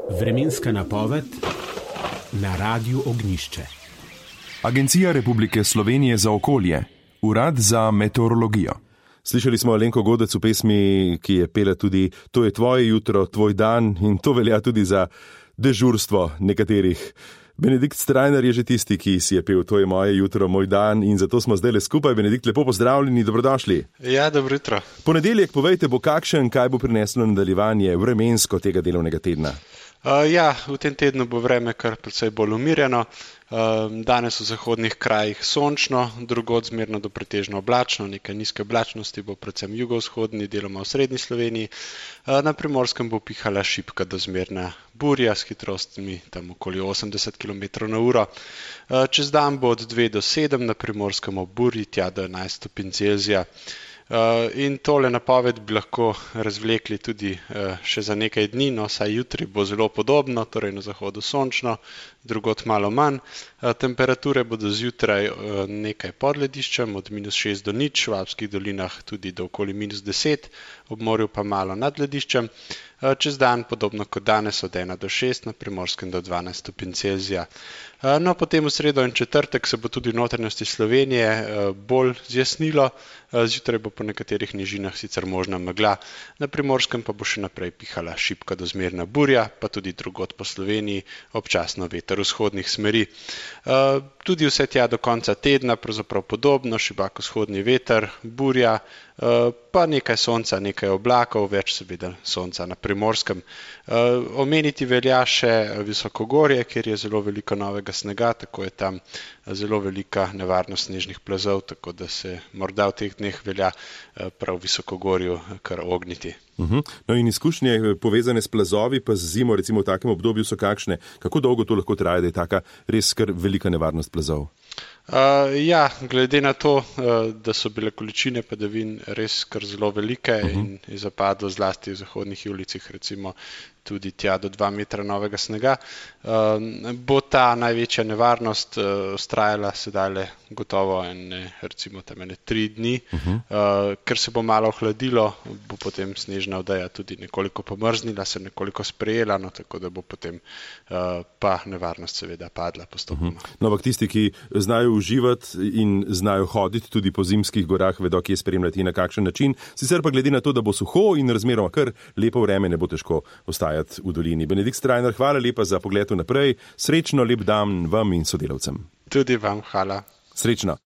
Vremenska napoved na Radiu Ognjišče. Agencija Republike Slovenije za okolje, Urad za meteorologijo. Slišali smo Alenko Godec v pesmi, ki je pela tudi To je tvoje jutro, tvoj dan, in to velja tudi za dežurstvo nekaterih. Benedikt Strajnar je že tisti, ki si je pel To je moje jutro, moj dan, in zato smo zdaj le skupaj. Benedikt, lepo pozdravljeni, dobrodošli. Ja, dobro jutro. Ponedeljek, povejte, bo kakšen, kaj bo prineslo nadaljevanje vremensko tega delovnega tedna? V tem tednu bo vreme kar precej bolj umirjeno. Danes v zahodnih krajih sončno, drugod zmerno do pretežno oblačno, nekaj nizke oblačnosti bo predvsem jugovzhodni, deloma v srednji Sloveniji. Na Primorskem bo pihala šibka do zmerna burja s hitrostmi tam okoli 80 km/h. Čez dan bo od 2 do 7 na Primorskem ob burji, tja do 11 stopinj Celzija. In tole napoved bi lahko razvlekli tudi še za nekaj dni, no saj jutri bo zelo podobno, torej na zahodu sončno, drugod malo manj. Temperature bodo zjutraj nekaj pod lediščem, od -6 do 0, v Alpskih dolinah tudi do okoli -10, ob morju pa malo nad lediščem. Čez dan podobno kot danes od 1 do 6, na Primorskem do 12 stopinj Celzija. No, potem v sredo in četrtek se bo tudi v notranjosti Slovenije bolj zjasnilo, zjutraj bo po nekaterih nižinah sicer možna megla, na Primorskem pa bo še naprej pihala šibka do zmerna burja, pa tudi drugod po Sloveniji občasno veter vzhodnih smeri. Tudi vse tja do konca tedna, pravzaprav podobno, šibak vzhodni veter, burja, pa nekaj sonca, nekaj oblakov, več seveda sonca na Primorskem. Omeniti velja še visokogorje, kjer je zelo veliko novega snega, tako je tam zelo velika nevarnost snežnih plazov, tako da se morda v teh dneh velja prav v visokogorju kar ogniti. No in izkušnje povezane s plazovi pa z zimo, recimo v takem obdobju, so kakšne? Kako dolgo to lahko traja, da je taka res kar velika nevarnost plazov? Glede na to, da so bile količine padavin res kar zelo velike in je zapadlo zlasti v zahodnih ulicah recimo tudi tja do 2 metra novega snega, bo ta največja nevarnost vztrajala sedaj gotovo recimo tam 3 dni, ker se bo malo ohladilo, bo potem snežna odeja tudi nekoliko pomrznila, se nekoliko sprejela, no tako da bo potem pa nevarnost seveda padla postopoma. No, ampak tisti, ki znajo uživati in znajo hoditi tudi po zimskih gorah, vedo, kje spremljati in na kakšen način. Sicer pa glede na to, da bo suho in razmeroma kar lepo vreme, ne bo težko ostajati v dolini. Benedikt Strajnar, hvala lepa za pogled naprej. Srečno, lep dan vam in sodelavcem. Tudi vam hvala. Srečno.